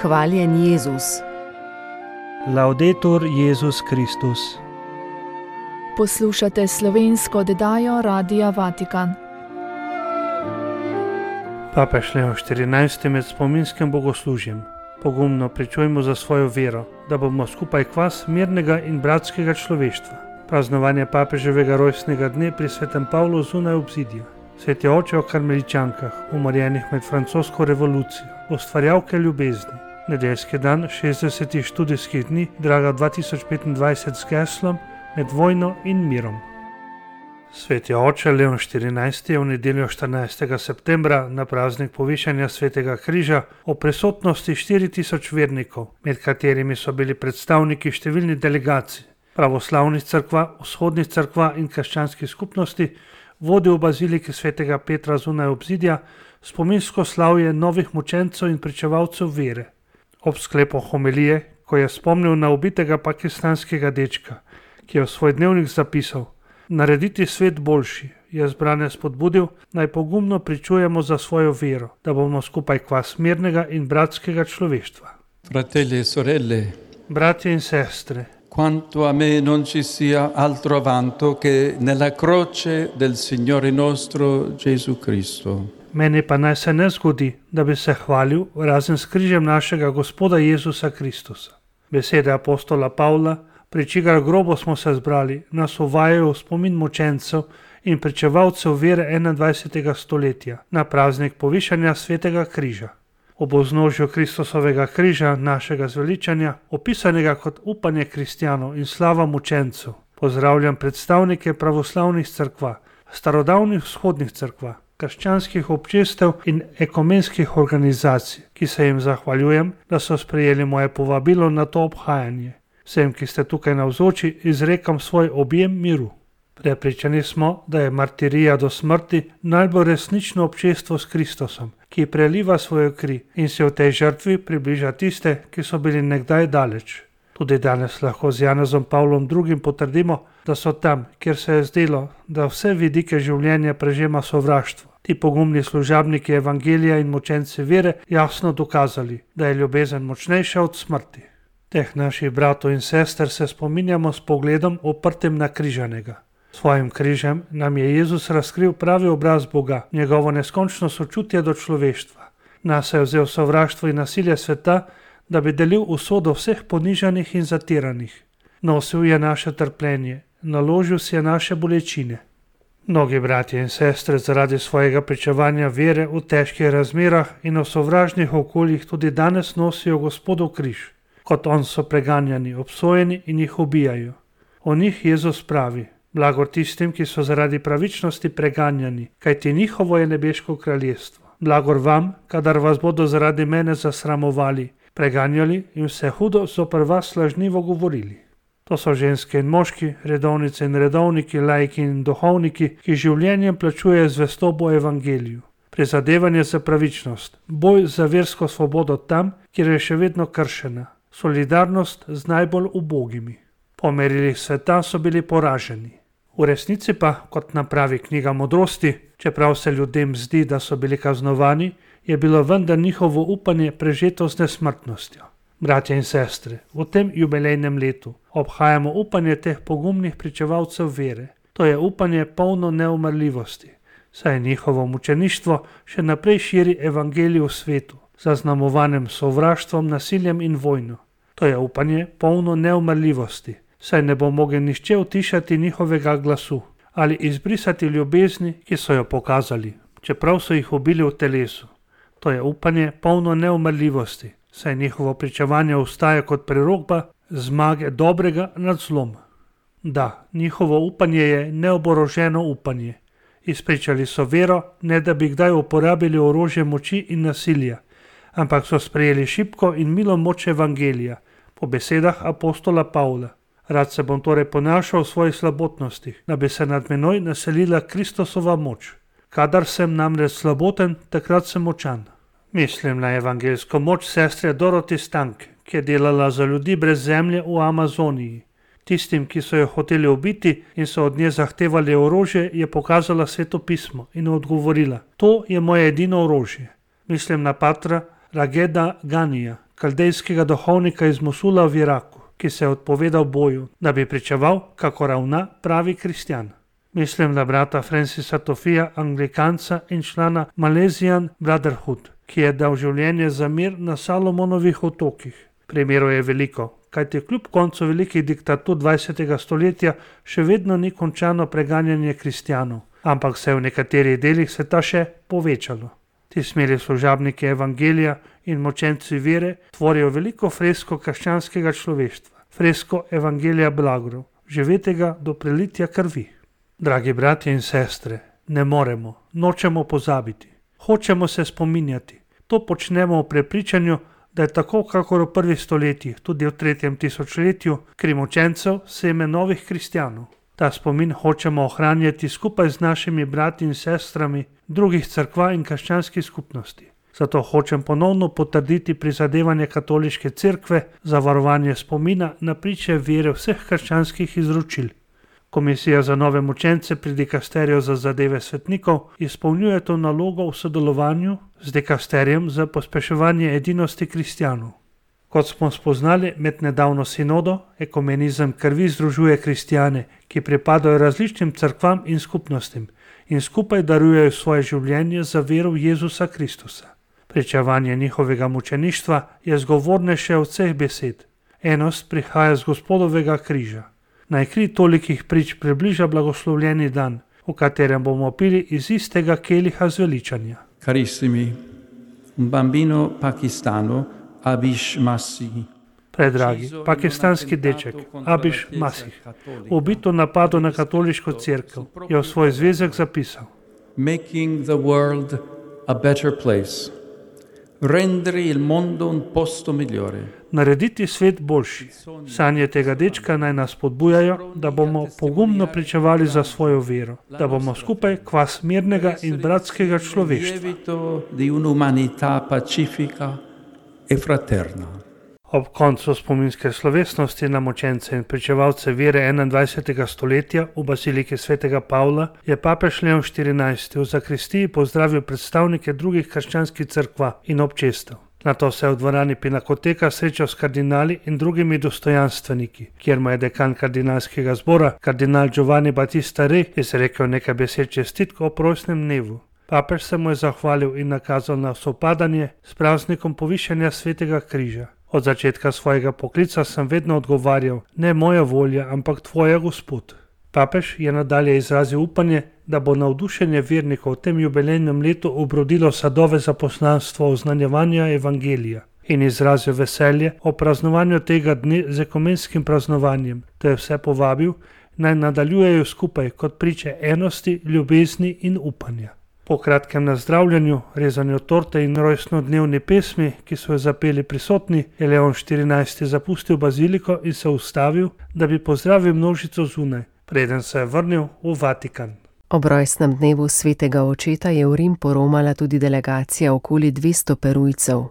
Hvaljen Jezus. Laudetur Jezus Kristus. Poslušate slovensko oddajo Radia Vatikan. Papež Leon XIV med spominskim bogoslužjem. Pogumno pričujmo za svojo vero, da bomo skupaj kvas mirnega in bratskega človeštva. Praznovanje papeževega rojstnega dne pri svetem Pavlu zunaj obzidja. Sveti oče o karmeličankah, umorjenih med francosko revolucijo, ustvarjalke ljubezni. Nedeljski dan 60 študijskih dni, draga 2025 s geslom Med vojno in mirom. Sveti oče Leon XIV je v nedeljo 14. septembra na praznik povišanja svetega križa o prisotnosti 4000 vernikov, med katerimi so bili predstavniki številnih delegacij, pravoslavnih cerkva, vzhodnih cerkva in krščanskih skupnosti, vodil v baziliki svetega Petra zunaj obzidja spominsko slavje novih mučencev in pričevalcev vere. Ob sklepu homilije, ko je spomnil na ubitega pakistanskega dečka, ki je v svoj dnevnik zapisal: narediti svet boljši, je zbrane spodbudil, naj pogumno pričujemo za svojo vero, da bomo skupaj kvas mirnega in bratskega človeštva. Fratelli e sorelle, Bratje in sestre, quanto a me non ci sia altro vanto che nella croce del Signore nostro Gesù Cristo. meni pa naj se ne zgodi, da bi se hvalil razen s križem našega Gospoda Jezusa Kristusa. Besede apostola Pavla, pri čigar grobu smo se zbrali, nas uvajajo v spomin mučencev in pričevalcev vere 21. stoletja na praznik povišanja svetega križa. Ob vznožju Kristusovega križa, našega zveličanja, opisanega kot upanje kristjanov in slava mučencev, pozdravljam predstavnike pravoslavnih cerkva, starodavnih vzhodnih cerkva, krščanskih občestev in ekumenskih organizacij, ki se jim zahvaljujem, da so sprejeli moje povabilo na to obhajanje. Vsem, ki ste tukaj navzoči, izrekam svoj objem miru. Prepričani smo, da je martirija do smrti najbolj resnično občestvo s Kristusom, ki preliva svojo kri in se v tej žrtvi približa tiste, ki so bili nekdaj daleč. Tudi danes lahko z Janezom Pavlom II potrdimo, da so tam, kjer se je zdelo, da vse vidike življenja prežema sovraštvo, ti pogumni služabniki evangelija in mučenci vere jasno dokazali, da je ljubezen močnejša od smrti. Teh naših bratov in sester se spominjamo s pogledom oprtim na križanega. Svojim križem nam je Jezus razkril pravi obraz Boga, njegovo neskončno sočutje do človeštva. Nas je vzel sovraštvo in nasilje sveta, da bi delil usodo vseh ponižanih in zatiranih. Nosil je naše trpljenje, naložil si je naše bolečine. Mnogi bratje in sestre zaradi svojega pričevanja vere v težkih razmerah in v sovražnih okoljih tudi danes nosijo Gospodov križ. Kot on so preganjani, obsojeni in jih ubijajo. O njih Jezus pravi: blagor tistim, ki so zaradi pravičnosti preganjani, kajti njihovo je nebeško kraljestvo. Blagor vam, kadar vas bodo zaradi mene zasramovali, preganjali in vse hudo zoper vas lažnivo govorili. To so ženske in moški, redovnice in redovniki, laiki in duhovniki, ki življenjem plačujejo zvestobo evangeliju. Prizadevanje za pravičnost, boj za versko svobodo tam, kjer je še vedno kršena, solidarnost z najbolj ubogimi. Po merilih sveta so bili poraženi. V resnici pa, kot nam pravi knjiga modrosti, čeprav se ljudem zdi, da so bili kaznovani, je bilo vendar njihovo upanje prežeto z nesmrtnostjo. Bratje in sestre, v tem jubilejnem letu obhajamo upanje teh pogumnih pričevalcev vere. To je upanje polno neumrljivosti, saj njihovo mučeništvo še naprej širi evangelij v svetu, zaznamovanem sovraštvom, nasiljem in vojno. To je upanje polno neumrljivosti, saj ne bo mogel nihče utišati njihovega glasu ali izbrisati ljubezni, ki so jo pokazali, čeprav so jih ubili v telesu. To je upanje polno neumrljivosti, saj njihovo pričevanje ostaja kot prerokba zmage dobrega nad zlom. Da, njihovo upanje je neoboroženo upanje. Izpričali so vero, ne da bi kdaj uporabili orožje moči in nasilja, ampak so sprejeli šibko in milo moč evangelija, po besedah apostola Pavla. Rad se bom torej ponašal v svojih slabotnostih, da bi se nad menoj naselila Kristusova moč. Kadar sem namreč slaboten, takrat sem močan. Mislim na evangelsko moč sestre Dorothy Stank, ki je delala za ljudi brez zemlje v Amazoniji. Tistim, ki so jo hoteli ubiti in so od nje zahtevali orožje, je pokazala Sveto pismo in odgovorila: to je moje edino orožje. Mislim na patra Rageda Ganija, kaldejskega duhovnika iz Mosula v Iraku, ki se je odpovedal boju, da bi pričeval, kako ravna pravi kristjan. Mislim na brata Francisa Tofija, anglikanca in člana Malaysian Brotherhood, ki je dal življenje za mir na Salomonovih otokih. Primerov je veliko, kajti kljub koncu velikih diktatur 20. stoletja še vedno ni končano preganjanje kristjanov, ampak se je v nekaterih delih sveta še povečalo. Ti smeli služabniki evangelija in močenci vere tvorijo veliko fresko krščanskega človeštva, fresko evangelija blagorov, živetega do prelitja krvi. Dragi bratje in sestre, ne moremo, nočemo pozabiti, hočemo se spominjati. To počnemo v prepričanju, da je tako kakor v prvih stoletjih, tudi v 3. tisočletju, krimočencev seme novih kristjanov. Ta spomin hočemo ohranjati skupaj z našimi brati in sestrami drugih cerkva in krščanskih skupnosti. Zato hočem ponovno potrditi prizadevanje katoliške cerkve za varovanje spomina na priče vere vseh krščanskih izročil. Komisija za nove mučence pri dikasteriju za zadeve svetnikov izpolnjuje to nalogo v sodelovanju z dikasterijem za pospeševanje edinosti kristjanov. Kot smo spoznali med nedavno sinodo, ekumenizem krvi združuje kristjane, ki pripadajo različnim cerkvam in skupnostim in skupaj darujejo svoje življenje za vero v Jezusa Kristusa. Pričevanje njihovega mučeništva je zgovornejše od vseh besed. Enost prihaja z Gospodovega križa. Naj kri tolikih prič približa blagoslovljeni dan, v katerem bomo pili iz istega keliha zveličanja. Carissimi, un bambino pakistano, Abish Masih, Predragi, pakistanski deček Abish Masih, ubit v napadu na katoliško cerkev, je v svoj zvezek zapisal: Making the world a better place. Rendere il mondo un posto migliore. Narediti svet boljši. Sanje tega dečka naj nas spodbujajo, da bomo pogumno pričevali za svojo vero, da bomo skupaj kvas mirnega in bratskega človeštva. Di un'umanità pacifica e fraterna. Ob koncu spominske slovesnosti na mučence in pričevalce vere 21. stoletja v baziliki svetega Pavla je papež Leon XIV v zakristiji pozdravil predstavnike drugih krščanskih cerkva in občestev. Nato se je v dvorani Pinakoteka srečal s kardinali in drugimi dostojanstveniki, kjer mu je dekan kardinalskega zbora, kardinal Giovanni Battista Re, izrekel nekaj besed čestitk o rojstnem dnevu. Papež se mu je zahvalil in nakazal na sovpadanje s praznikom povišanja svetega križa. Od začetka svojega poklica sem vedno odgovarjal, ne moja volja, ampak tvoja, Gospod. Papež je nadalje izrazil upanje, da bo navdušenje vernikov v tem jubilejnem letu obrodilo sadove za poslanstvo oznanjevanja evangelija in izrazil veselje o praznovanju tega dne z ekumenskim praznovanjem, to je vse povabil, naj nadaljujejo skupaj kot priče enosti, ljubezni in upanja. Po kratkem nazdravljanju, rezanju torte in rojstnodnevni pesmi, ki so jo zapeli prisotni, je Leon XIV zapustil baziliko in se ustavil, da bi pozdravil množico zunaj, preden se je vrnil v Vatikan. Ob rojstnem dnevu svetega očeta je v Rim poromala tudi delegacija okoli 200 perujcev.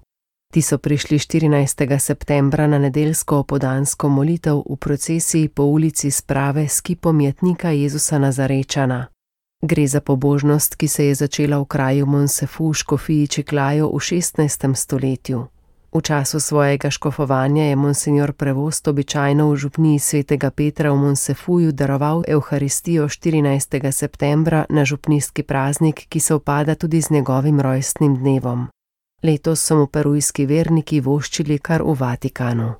Ti so prišli 14. septembra na nedeljsko opodansko molitev v procesiji po ulici Sprave s kipom jetnika Jezusa Nazarečana. Gre za pobožnost, ki se je začela v kraju Monsefu v škofiji Čeklajo v 16. stoletju. V času svojega škofovanja je monsinjor Prevost običajno v župniji svetega Petra v Monsefuju daroval Evharistijo 14. septembra na župnijski praznik, ki se upada tudi z njegovim rojstnim dnevom. Letos so mu perujski verniki voščili kar v Vatikanu.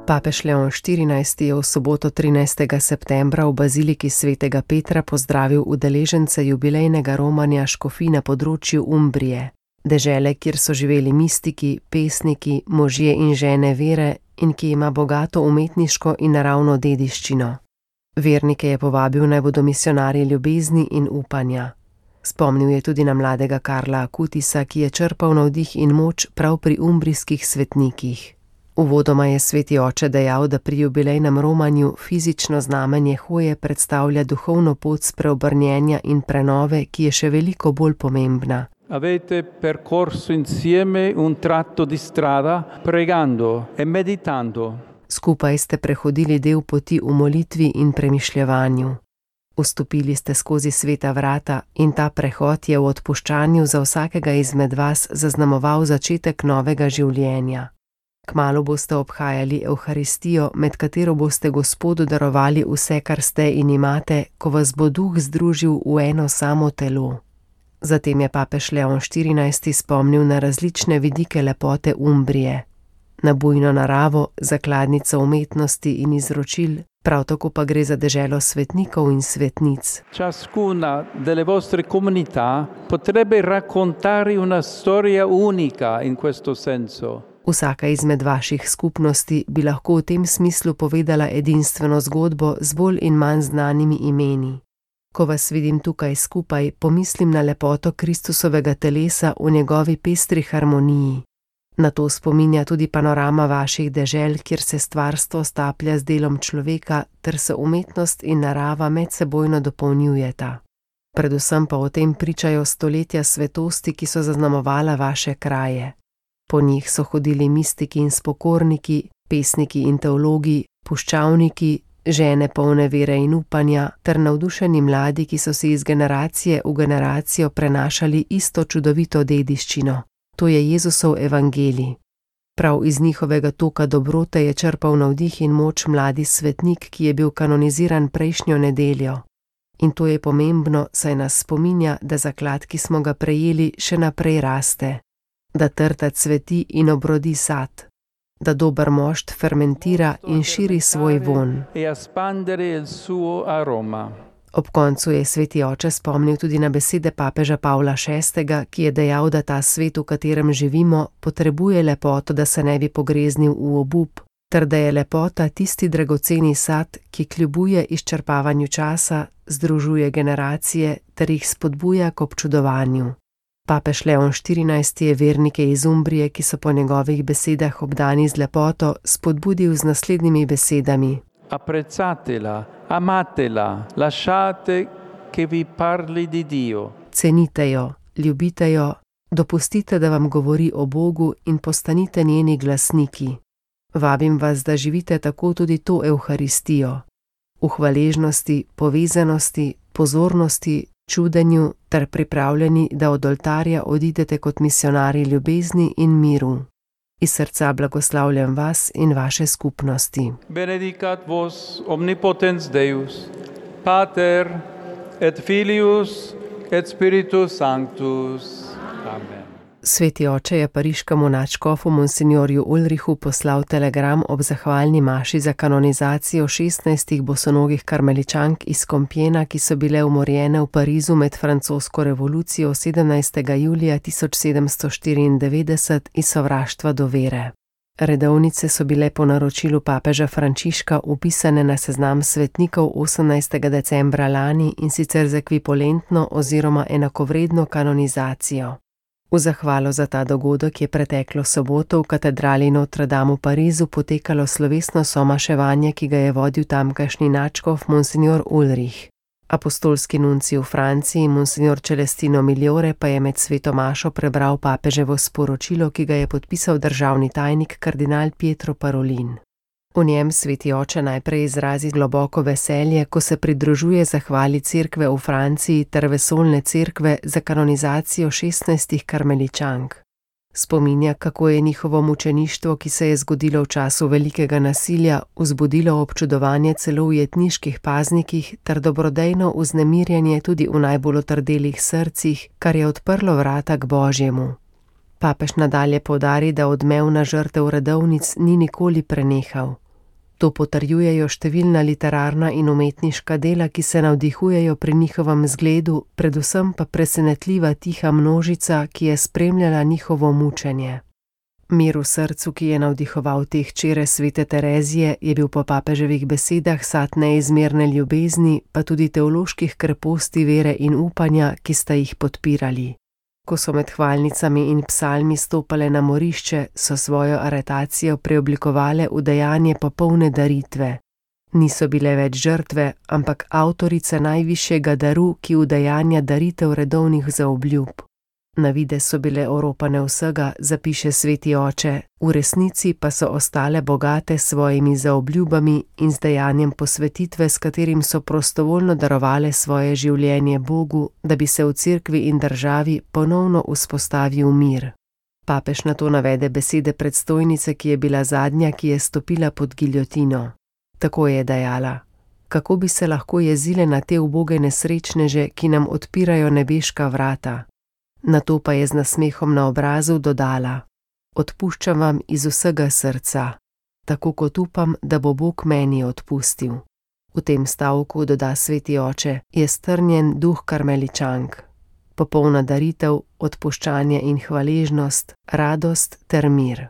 Papež Leon XIV je v soboto 13. septembra v baziliki svetega Petra pozdravil udeležence jubilejnega romanja škofij na področju Umbrije, dežele, kjer so živeli mistiki, pesniki, možje in žene vere in ki ima bogato umetniško in naravno dediščino. Vernike je povabil naj bodo misionarji ljubezni in upanja. Spomnil je tudi na mladega Karla Akutisa, ki je črpal navdih in moč prav pri umbrijskih svetnikih. Uvodoma je sveti oče dejal, da pri jubilejnem romanju fizično znamenje hoje predstavlja duhovno pot spreobrnjenja in prenove, ki je še veliko bolj pomembna. Avete percorso insieme un tratto di strada pregando e meditando. Skupaj ste prehodili del poti v molitvi in premišljevanju. Vstopili ste skozi sveta vrata in ta prehod je v odpuščanju za vsakega izmed vas zaznamoval začetek novega življenja. Kmalu boste obhajali Evharistijo, med katero boste Gospodu darovali vse, kar ste in imate, ko vas bo Duh združil v eno samo telo. Zatem je papež Leon XIV. Spomnil na različne vidike lepote Umbrije, na bujno naravo, zakladnico umetnosti in izročil, prav tako pa gre za deželo svetnikov in svetnic. Ciascuna delle vostre comunità potrebbe raccontare una storia unica in questo senso. Vsaka izmed vaših skupnosti bi lahko v tem smislu povedala edinstveno zgodbo z bolj in manj znanimi imeni. Ko vas vidim tukaj skupaj, pomislim na lepoto Kristusovega telesa v njegovi pestri harmoniji. Na to spominja tudi panorama vaših dežel, kjer se stvarstvo staplja z delom človeka, ter se umetnost in narava medsebojno dopolnjujeta. Predvsem pa o tem pričajo stoletja svetosti, ki so zaznamovala vaše kraje. Po njih so hodili mistiki in spokorniki, pesniki in teologi, puščavniki, žene polne vere in upanja, ter navdušeni mladi, ki so si iz generacije v generacijo prenašali isto čudovito dediščino. To je Jezusov evangelij. Prav iz njihovega toka dobrote je črpal navdih in moč mladi svetnik, ki je bil kanoniziran prejšnjo nedeljo. In to je pomembno, saj nas spominja, da zaklad, ki smo ga prejeli, še naprej raste, da trta cveti in obrodi sad, da dober mošt fermentira in širi svoj vonj. Ob koncu je sveti oče spomnil tudi na besede papeža Pavla VI., ki je dejal, da ta svet, v katerem živimo, potrebuje lepoto, da se ne bi pogreznil v obup, ter da je lepota tisti dragoceni sad, ki kljubuje izčrpavanju časa, združuje generacije ter jih spodbuja k občudovanju. Papež Leon XIV. Je vernike iz Umbrije, ki so po njegovih besedah obdani z lepoto, spodbudil z naslednjimi besedami: Apprezzatela, amatela, lasciate che vi parli di Dio. Cenite jo, ljubite jo, dopustite, da vam govori o Bogu in postanite njeni glasniki. Vabim vas, da živite tako tudi to Evharistijo, v hvaležnosti, povezanosti, pozornosti, čudenju ter pripravljeni, da od oltarja odidete kot misionarji ljubezni in miru. Iz srca blagoslavljam vas in vaše skupnosti. Benedicat vos omnipotens Deus, Pater et Filius et Spiritus Sanctus. Amen. Sveti oče je pariškemu nadškofu monsignorju Ulrichu poslal telegram ob zahvalni maši za kanonizacijo 16 bosonogih karmeličank iz Compiègna, ki so bile umorjene v Parizu med francosko revolucijo 17. julija 1794 iz sovraštva do vere. Redovnice so bile po naročilu papeža Frančiška vpisane na seznam svetnikov 18. decembra lani, in sicer z ekvipolentno oziroma enakovredno kanonizacijo. V zahvalo za ta dogodek je preteklo soboto v katedrali Notre Dame v Parizu potekalo slovesno somaševanje, ki ga je vodil tamkajšnji nadškof monsignor Ulrich. Apostolski nuncij v Franciji, monsignor Celestino Migliore, pa je med sveto mašo prebral papeževo sporočilo, ki ga je podpisal državni tajnik kardinal Pietro Parolin. V njem sveti oče najprej izrazi globoko veselje, ko se pridružuje zahvali cerkve v Franciji ter vesoljne cerkve za kanonizacijo 16 karmeličank. Spominja, kako je njihovo mučeništvo, ki se je zgodilo v času velikega nasilja, vzbudilo občudovanje celo v jetniških paznikih ter dobrodejno vznemirjanje tudi v najbolj otrdelih srcih, kar je odprlo vrata k Božjemu. Papež nadalje poudari, da odmev na žrtev redovnic ni nikoli prenehal. To potrjujejo številna literarna in umetniška dela, ki se navdihujejo pri njihovem zgledu, predvsem pa presenetljiva tiha množica, ki je spremljala njihovo mučenje. Mir v srcu, ki je navdihoval te hčere svete Terezije, je bil po papeževih besedah sad neizmerne ljubezni, pa tudi teoloških kreposti vere in upanja, ki sta jih podpirali. Ko so med hvalnicami in psalmi stopale na morišče, so svojo aretacijo preoblikovale v dejanje popolne daritve. Niso bile več žrtve, ampak avtorice najvišjega daru, ki udejanja daritev redovnih zaobljub. Na vide so bile oropane vsega, zapiše sveti oče, v resnici pa so ostale bogate s svojimi zaobljubami in z dejanjem posvetitve, s katerim so prostovoljno darovale svoje življenje Bogu, da bi se v cerkvi in državi ponovno vzpostavil mir. Papež nato navede besede predstojnice, ki je bila zadnja, ki je stopila pod giljotino. Tako je dejala: kako bi se lahko jezile na te uboge nesrečneže, ki nam odpirajo nebeška vrata. Nato pa je z nasmehom na obrazu dodala: odpuščam vam iz vsega srca, tako kot upam, da bo Bog meni odpustil. V tem stavku, doda sveti oče, je strnjen duh karmeličank. Popolna daritev, odpuščanje in hvaležnost, radost ter mir.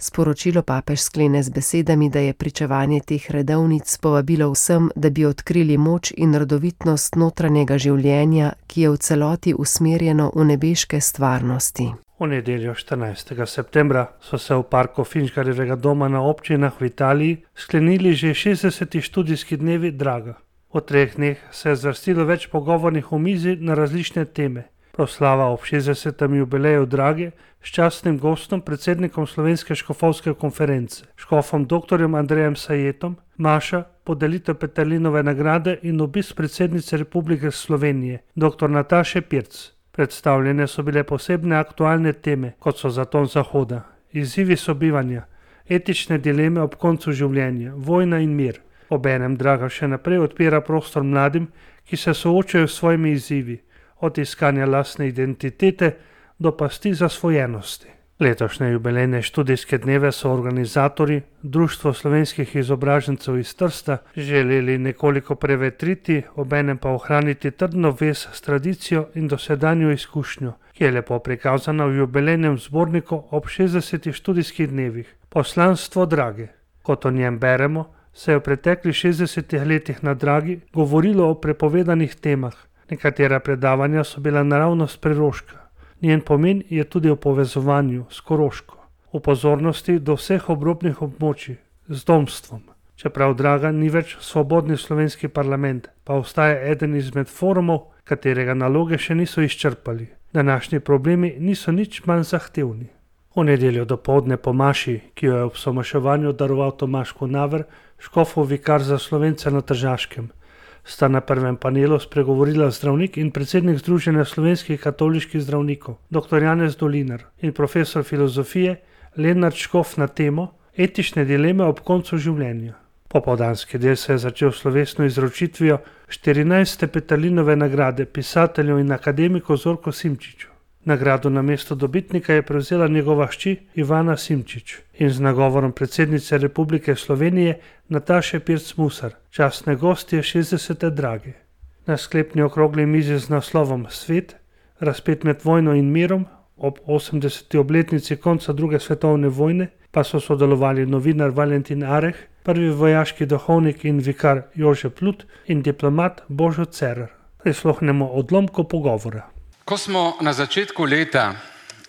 Sporočilo papež sklene z besedami, da je pričevanje teh redovnic povabilo vsem, da bi odkrili moč in rodovitnost notranjega življenja, ki je v celoti usmerjeno v nebeške stvarnosti. V nedeljo 14. septembra so se v parku Finžgarjevega doma na občinah v Italiji sklenili že 60. študijski dnevi Draga. V 3 dneh se je zvrstilo več pogovornih omizij na različne teme. Proslava ob 60. jubileju Drage s častnim gostom, predsednikom Slovenske škofovske konference, škofom dr. Andrejem Sajetom, maša, podelitev Peterlinove nagrade in obisk predsednice Republike Slovenije, dr. Nataše Pirc. Predstavljene so bile posebne aktualne teme, kot so zaton Zahoda, izzivi sobivanja, etične dileme ob koncu življenja, vojna in mir. Obenem Draga še naprej odpira prostor mladim, ki se soočajo s svojimi izzivi, od iskanja lastne identitete do pasti zasvojenosti. Letošnje jubilejne študijske dneve so organizatorji, Društvo slovenskih izobražencev iz Trsta, želeli nekoliko prevetriti, obenem pa ohraniti trdno vez s tradicijo in dosedanjo izkušnjo, ki je lepo prikazana v jubilejnem zborniku ob 60 študijskih dnevih. Poslanstvo Drage. Kot o njem beremo, se je v preteklih 60 letih na Dragi govorilo o prepovedanih temah. Nekatera predavanja so bila naravnost preroška. Njen pomen je tudi v povezovanju s Koroško, v pozornosti do vseh obrobnih območij, z domstvom. Čeprav Draga ni več svobodni slovenski parlament, pa ostaja eden izmed forumov, katerega naloge še niso izčrpali. Današnji problemi niso nič manj zahtevni. V nedeljo dopoldne po maši, ki jo je ob somaševanju daroval Tomaž Kunaver, škofov vikar za Slovence na Tržaškem, sta na prvem panelu spregovorila zdravnik in predsednik Združenja slovenskih katoliških zdravnikov, dr. Janez Dolinar, in profesor filozofije Lenart Škof na temo etične dileme ob koncu življenja. Popoldanski del se je začel slovesno izročitvijo 14. Peterlinove nagrade pisatelju in akademiku Zorku Simčiču. Nagrado na mesto dobitnika je prevzela njegova hči Ivana Simčič in z nagovorom predsednice Republike Slovenije Nataše Pirc Musar, častne gostje 60. Drage. Na sklepni okrogli mizi z naslovom Svet, razpet med vojno in mirom, ob 80. obletnici konca druge svetovne vojne, pa so sodelovali novinar Valentin Areh, prvi vojaški duhovnik in vikar Jože Plut in diplomat Božo Cerar. Prisluhnemo odlomku pogovora. Ko smo na začetku leta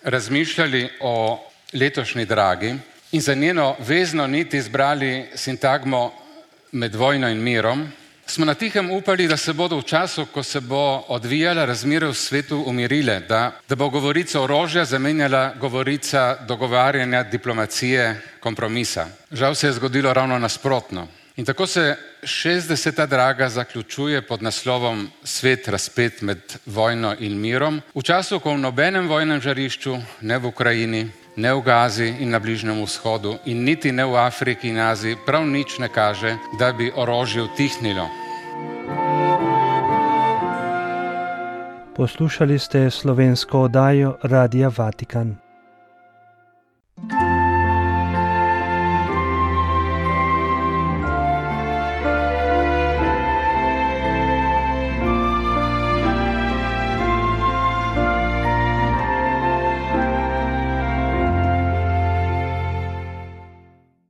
razmišljali o letošnji Dragi in za njeno vezno nit izbrali sintagmo med vojno in mirom, smo na tihem upali, da se bodo v času, ko se bo odvijala razmere v svetu, umirile, da bo govorica orožja zamenjala govorica dogovarjanja, diplomacije, kompromisa. Žal se je zgodilo ravno nasprotno. In tako se 60. Draga zaključuje pod naslovom Svet razpet med vojno in mirom, v času, ko v nobenem vojnem žarišču, ne v Ukrajini, ne v Gazi in na Bližnjem vzhodu in niti ne v Afriki in Aziji prav nič ne kaže, da bi orožje utihnilo. Poslušali ste slovensko oddajo Radia Vatikan.